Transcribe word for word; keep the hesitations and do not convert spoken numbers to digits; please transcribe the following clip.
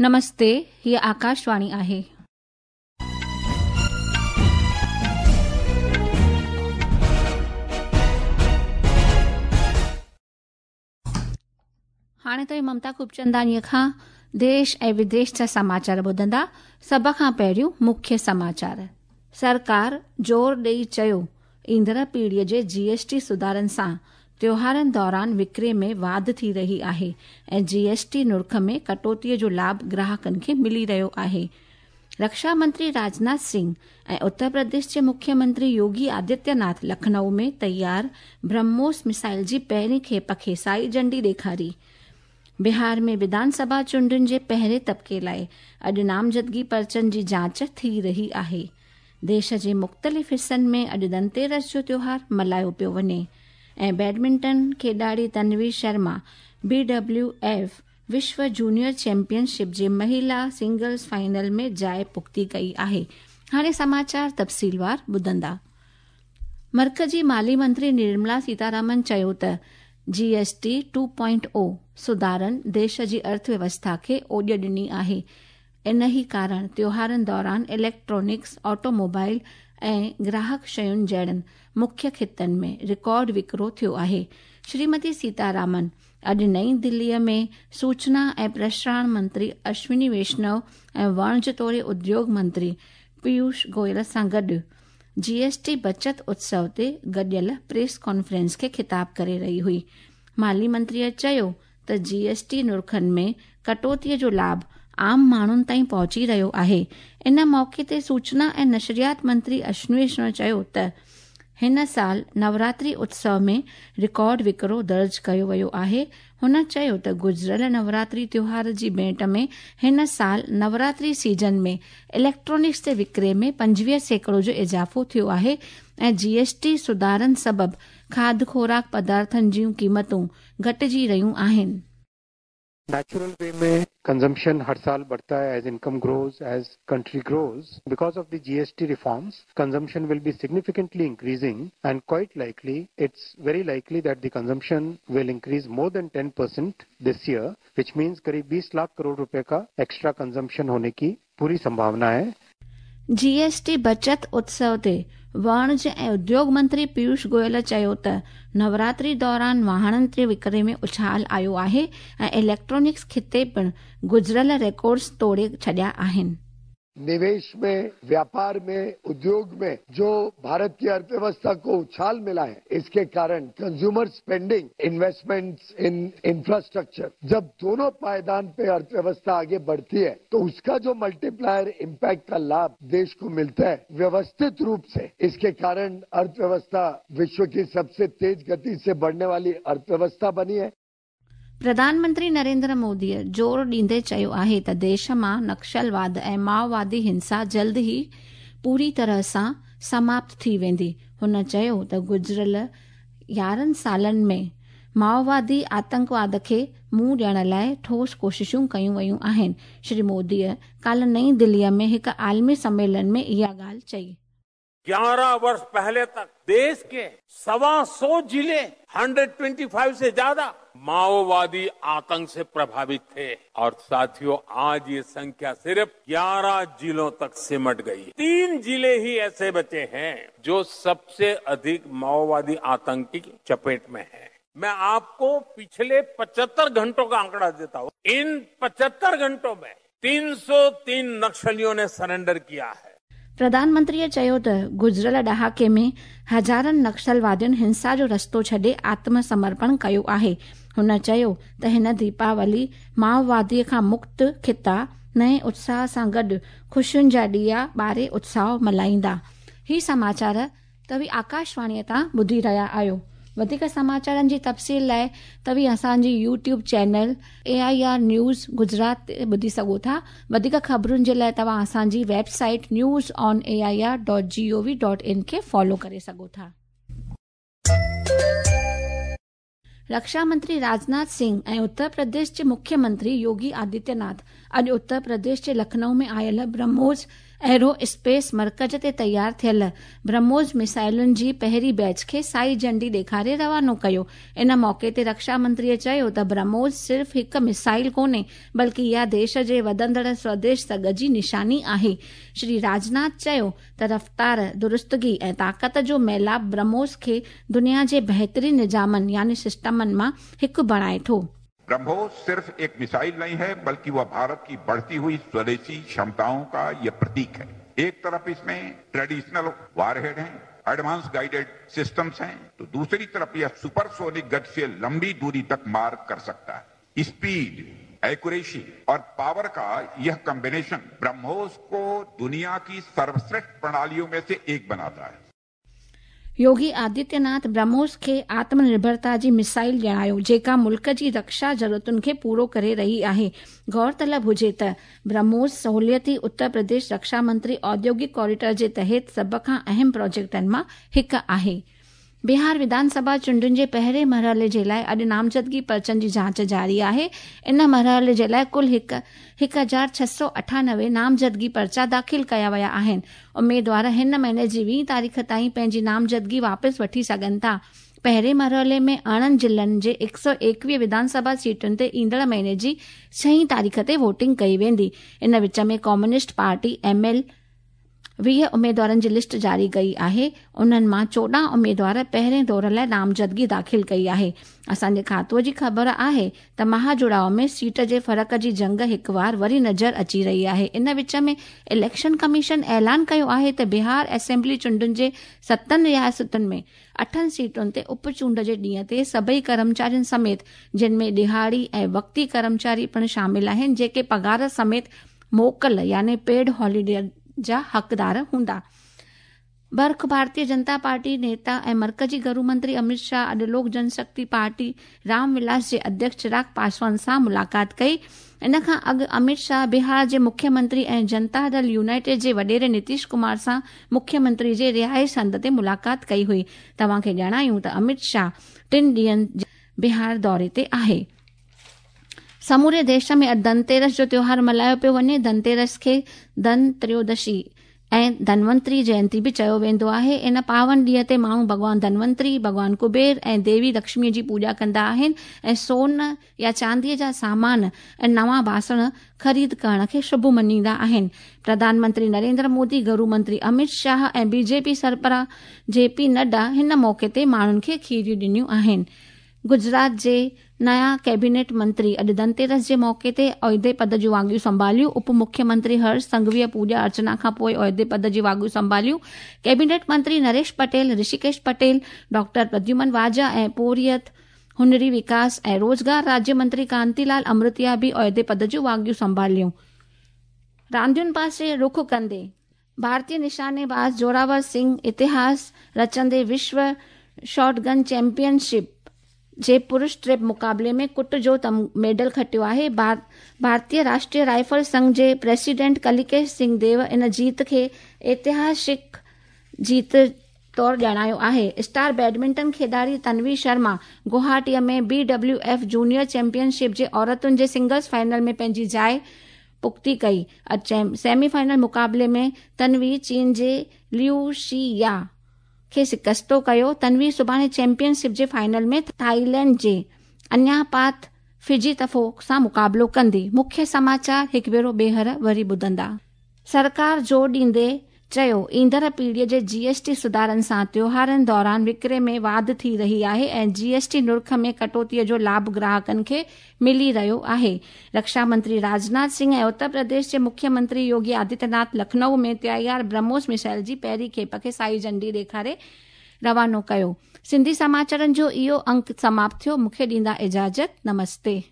नमस्ते, हीअ आकाशवाणी आहे। हाणे त ममता खूबचंदानीअ खां देश ऐं विदेश जा समाचार ॿुधंदा। सभ खां पहिरियों मुख्य समाचार। सरकार ज़ोर ॾेई चयो, ईंदड़ पीढ़ीअ जे जीएसटी सुधारनि सां त्योहारनि दौरान विकिरे में वाध थी रही आहे ऐं जीएसटी नुर्ख में कटौतीअ जो लाभ ग्राहकनि खे मिली रहियो आहे। रक्षा मंत्री राजनाथ सिंह ऐं उत्तर प्रदेश जे मुख्यमंत्री योगी आदित्यनाथ लखनऊ में तैयार ब्रह्मोस मिसाइल जी पहिरीं खेप खे साई झंडी ॾेखारी। बिहार में विधानसभा चूंडुनि जे पहिरें तबिके लाइ अॼु नामज़दगी पर्चनि जी जांच थी रही आहे। देश जे मुख़्तलिफ़ हिसनि में अॼु धनतेरस जो त्योहार मल्हायो पियो वञे। ऐं बैडमिंटन खेॾाड़ी Tanvi Sharma B W F विश्व जूनियर चैंपियनशिप जे महिला सिंगल्स फाइनल में जाइ पुख़्ती कई आहे। हाणे समाचार तफ़सीलवार ॿुधंदा। मर्कज़ी माली मंत्री निर्मला सीतारामन चयो त जीएसटी टू पॉइंट ओ सुधारनि देश जी अर्थव्यवस्था खे ओॾ ॾिनी आहे। इन ई कारण त्योहारनि दौरान इलेक्ट्रॉनिक्स, ऑटोमोबाइल ऐं ग्राहक शयुनि जहिड़नि मुख्य ख़ितनि में रिकॉर्ड विकिरो थियो आहे। श्रीमती सीतारामन अॼु नई दिल्लीअ में सूचना ऐं प्रसारण मंत्री अश्विनी वैष्णव ऐं वाणिज तोड़े उद्योग मंत्री पीयूष गोयल सां गॾु जीएसटी बचत उत्सव ते गॾियल प्रेस कॉन्फ्रेंस खे ख़िताब करे रही हुई। माली मंत्रीअ चयो त जीएसटी नुर्खनि में कटौतीअ जो लाभ आम माण्हुनि ताईं पहुची रहियो आहे। इन मौक़े ते सूचना ऐं नशरियात मंत्री अश्विनी वैष्णव चयो त हिन साल नवरात्रि उत्सव में रिकॉर्ड विकिरो दर्ज कयो वियो आहे। हुन चयो त गुज़िरियल नवरात्रि त्योहार जी भेंट में हिन साल नवरात्रि सीजन में इलेक्ट्रॉनिक्स जे विकिरे में पंजवीह सैकड़ो जो इज़ाफ़ो थियो आहे ऐं जीएसटी सुधारनि सबबु खाध खुराक पदार्थनि जूं क़ीमतूं घटिजी रहियूं आहिनि। नेचुरल वे में कंजम्पशन हर साल बढ़ता है as income grows, as country grows. Because of the GST reforms consumption will be significantly increasing and quite likely it's very likely that the consumption will increase more than ten percent this year, which means करीब बीस लाख करोड़ रुपए का extra consumption होने की पूरी संभावना है। GST बचत उत्सव ते वाणिज ऐं उद्योग मंत्री पीयूष गोयल चयो त नवरात्रि दौरान वाहननि जे विकिरे में उछाल आयो आहे ऐं इलेक्ट्रॉनिक्स खिते पिणु गुज़िरियल रिकॉर्ड्स तोड़े छॾिया आहिनि। निवेश में, व्यापार में, उद्योग में जो भारत की अर्थव्यवस्था को उछाल मिला है, इसके कारण consumer spending, investments in infrastructure, जब दोनों पायदान पे अर्थव्यवस्था आगे बढ़ती है तो उसका जो मल्टीप्लायर इम्पैक्ट का लाभ देश को मिलता है व्यवस्थित रूप से, इसके कारण अर्थव्यवस्था विश्व की सबसे तेज गति से बढ़ने वाली अर्थव्यवस्था बनी है। प्रधानमंत्री नरेंद्र मोदीअ ज़ोर ॾींदे चयो आहे त देश मां नक्सलवाद ऐं माओवादी हिंसा जल्द ई पूरी तरह सां समाप्त थी वेंदी। हुन चयो त गुज़िरियल यारहं सालनि में माओवादी आतंकवाद खे मुंहुं ॾियण लाइ ठोस कोशिशूं कयूं वयूं आहिनि। श्री मोदीअ काल्ह नई दिल्लीअ में हिकु आलमी सम्मेलन में इहा ॻाल्हि चई। ग्यारह वर्ष पहले तक देश के सवा सौ जिले एक सौ पच्चीस से ज्यादा माओवादी आतंक से प्रभावित थे और साथियों आज ये संख्या सिर्फ ग्यारह जिलों तक सिमट गई। तीन जिले ही ऐसे बचे हैं जो सबसे अधिक माओवादी आतंक की चपेट में हैं। मैं आपको पिछले पचहत्तर घंटों का आंकड़ा देता हूँ। इन पचहत्तर घंटों में तीन सौ तीन नक्सलियों ने सरेंडर किया है। प्रधानमंत्रीअ चयो त गुज़िरियल ॾहाके में हज़ारनि नक्सलवादियुनि हिंसा जो रस्तो छॾे आत्मसमर्पण कयो आहे। हुन चयो त हिन दीपावली माओवादीअ खां मुक्त खिता नए उत्साह सां गॾु ख़ुशियुनि जा ॾिया ॿारे उत्साह मल्हाईंदा। ही समाचार तव्हीं आकाशवाणीअ तां ॿुधी रहिया आहियो। वधीक समाचारनि जी तफ़सील लाइ तव्हीं असांजी YouTube channel A I R news Gujarat ते ॿुधी सघो था। वधीक ख़बरुनि जे लाइ तव्हां असांजी website news on A I R dot G O V dot in खे फॉलो करे सघो था। रक्षा मंत्री राजनाथ सिंह ऐं उत्तर प्रदेश जे मुख्यमंत्री योगी आदित्यनाथ अॼु उत्तर प्रदेश जे लखनऊ में आयल ब्रह्मोस एरो स्पेस मर्कज़ ते तयार थियल ब्रह्मोस मिसाइलुनि जी पहिरीं बैच खे साई झंडी ॾेखारे रवानो कयो। इन मौक़े ते रक्षा मंत्रीअ चयो त ब्रह्मोस सिर्फ़ हिकु मिसाइल कोन्हे, बल्कि इहा देश जे वधंदड़ स्वदेश सघ जी निशानी आहे। श्री राजनाथ चयो त रफ़्तार, दुरुस्तगी ऐं ताक़त जो मेलाप ब्रह्मोस खे दुनिया जे बहितरीन निज़ामनि यानी सिस्टमनि मां हिकु बणाए थो। ब्रह्मोस सिर्फ एक मिसाइल नहीं है, बल्कि वह भारत की बढ़ती हुई स्वदेशी क्षमताओं का यह प्रतीक है। एक तरफ इसमें ट्रेडिशनल वारहेड हैं, एडवांस गाइडेड सिस्टम्स हैं, तो दूसरी तरफ यह सुपरसोनिक गति से लंबी दूरी तक मार कर सकता है। स्पीड, एक्यूरेसी और पावर का यह कॉम्बिनेशन ब्रह्मोस को दुनिया की सर्वश्रेष्ठ प्रणालियों में से एक बनाता है। योगी आदित्यनाथ ब्रह्मोस खे आत्मनिर्भरता जी मिसाइल ॼाणायो, जेका मुल्क जी रक्षा ज़रूरतुनि खे पूरो करे रही आहे। गौरतलब हुजे त ब्रह्मोस सहूलियती उत्तर प्रदेश रक्षा मंत्री औद्योगिक कॉरिडोर जे तहत सभ खां अहम प्रोजेक्टनि मां हिकु आहे। बिहार विधानसभा चूंडुनि जे पहिरें मरहले जे लाइ अॼु नामज़दगी पर्चनि जी जांच जारी आहे। इन मरहले जे लाइ कुल हिकु हिकु हज़ार छह सौ अठानवे नामज़दगी पर्चा दाख़िल कया विया आहिनि। उमेदवार हिन महीने जी वीह तारीख़ ताईं पंहिंजी नामज़दगी वापसि वठी सघनि था। पहिरें मरहले में अरिड़हं ज़िलनि जे हिकु सौ एकवीह विधानसभा सीटुनि ते ईंदड़ महीने जी छहीं तारीख़ ते वोटिंग कई वेंदी। इन विच में कम्युनिस्ट पार्टी एम एल वीह उमेदवारनि जी लिस्ट जारी कई आहे। उन्हनि मां चोॾहं उमेदवार पहिरें दौर लाइ नामज़दगी दाख़िल कई आहे। असांजे खातूअ जी ख़बर आहे त महाजुड़ाव में सीट जे फ़र्क़ जी जंग हिकु वार वरी नज़र अची रही आहे। इन विच में इलेक्शन कमीशन ऐलान कयो आहे त बिहार असेंबली चूंडुनि जे सतनि रियासतुनि में अठनि सीटुनि ते उपचूंड जे ॾींहं ते सभई कर्मचारियुनि समेत, जिन में ॾिहाड़ी ऐं वक़्ती कर्मचारी पिणु शामिल आहिनि, जेके पघार समेत मोकल यानी पेड हॉलीडे जा हक़दार हूंदा। बर्ख भारतीय जनता पार्टी नेता ऐं मर्कज़ी घरू मंत्री अमित शाह अॼु लोक जनशक्ति पार्टी रामविलास जे अध्यक्ष चिराग पासवान सां मुलाक़ात कई। इन खां अॻु अमित शाह बिहार जे मुख्यमंत्री ऐं जनता दल यूनाइटेड जे वॾेरे नीतीश कुमार सां मुख्यमंत्री जे रिहाइश हंधि ते मुलाक़ात कई हुई। तव्हांखे ॼाणायूं त अमित शाह टिनि ॾींहंनि बिहार दौरे ते आहे। समूरे देश में अॼु धनतेरस जो त्योहार मल्हायो पियो वञे। धनतेरस खे धन त्रयोदशी ऐं धनवंतरी जयंती बि चयो वेंदो आहे। इन पावन ॾींहं ते माण्हू भॻवान धनवंतरी, भॻवान कुबेर ऐं देवी लक्ष्मीअ जी पूॼा कंदा आहिनि ऐं सोन या चांदीअ जा सामान ऐं नवां बासण ख़रीद करण खे शुभ मञींदा आहिनि। प्रधानमंत्री नरेंद्र मोदी, घरू मंत्री अमित शाह ऐं बीजेपी सरबराह जे पी नड्डा हिन मौक़े ते माण्हुनि खे खीरियूं ॾिनियूं आहिनि। गुजरात जे नया कैबिनेट मंत्री अॼु धनतेरस जे मौक़े ते ओहदे पद जूं वाॻियूं संभालियूं। उप मुख्यमंत्री हर्ष संघवीअ पूॼा अर्चना खां पोइ ओहदे पद जी वाॻियूं संभालियूं। कैबिनेट मंत्री नरेश पटेल, ऋषिकेश पटेल, डॉक्टर प्रद्युमन वाजा ऐं पोरियत हुनरी विकास ऐं रोज़गार राज्य मंत्री कांतीलाल अमृतिया बि ओहदे पद जूं वाॻियूं संभालियूं। रांदियुनि पासे रुख कंदे भारतीय निशानेबाज़ जोरावर सिंह इतिहास रचंदे विश्व शॉटगन चैंपियनशिप जे पुरुष ट्रिप मुक़ाबले में कुट जो मेडल खटियो आहे। भारतीय राष्ट्रीय राइफल संघ जे प्रेसिडेंट कलिकेश सिंह देव इन जीत खे ऐतिहासिक जीत तौर ॼाणायो आहे। स्टार बैडमिंटन खिॾाड़ी तन्वी शर्मा गुवाहाटीअ में B W F junior championship जे औरतुनि जे सिंगल्स फाइनल में पंहिंजी जाइ पुख़्ती कई। अॼु सेमीफाइनल मुक़ाबले में तन्वी चीन जे लियू she या खे शिकस्तो कयो। तन्वी सुभाणे चैंपियनशिप जे फाइनल में थाईलैंड जे अन्यापात फिजी तफो सां मुक़ाबिलो कंदी। मुख्य समाचार हिकु भेरो ॿीहर वरी ॿुधंदा। सरकार ज़ोर ॾींदे चयो ईंदड़ पीढ़ीअ जे जीएसटी सुधारनि सां त्योहारनि दौरान विकिरे में वाध थी रही आहे ऐं जीएसटी नुर्ख में कटौतीअ जो लाभ ग्राहकनि खे मिली रहियो आहे। रक्षा मंत्री राजनाथ सिंह ऐं उत्तर प्रदेश जे मुख्यमंत्री योगी आदित्यनाथ लखनऊ में तयार ब्रह्मोस मिसाइल जी पहिरीं खेप खे साई झंडी ॾेखारे रवानो कयो। सिंधी समाचारनि जो इहो अंक समाप्त थियो। मूंखे ॾींदा इजाज़त। नमस्ते।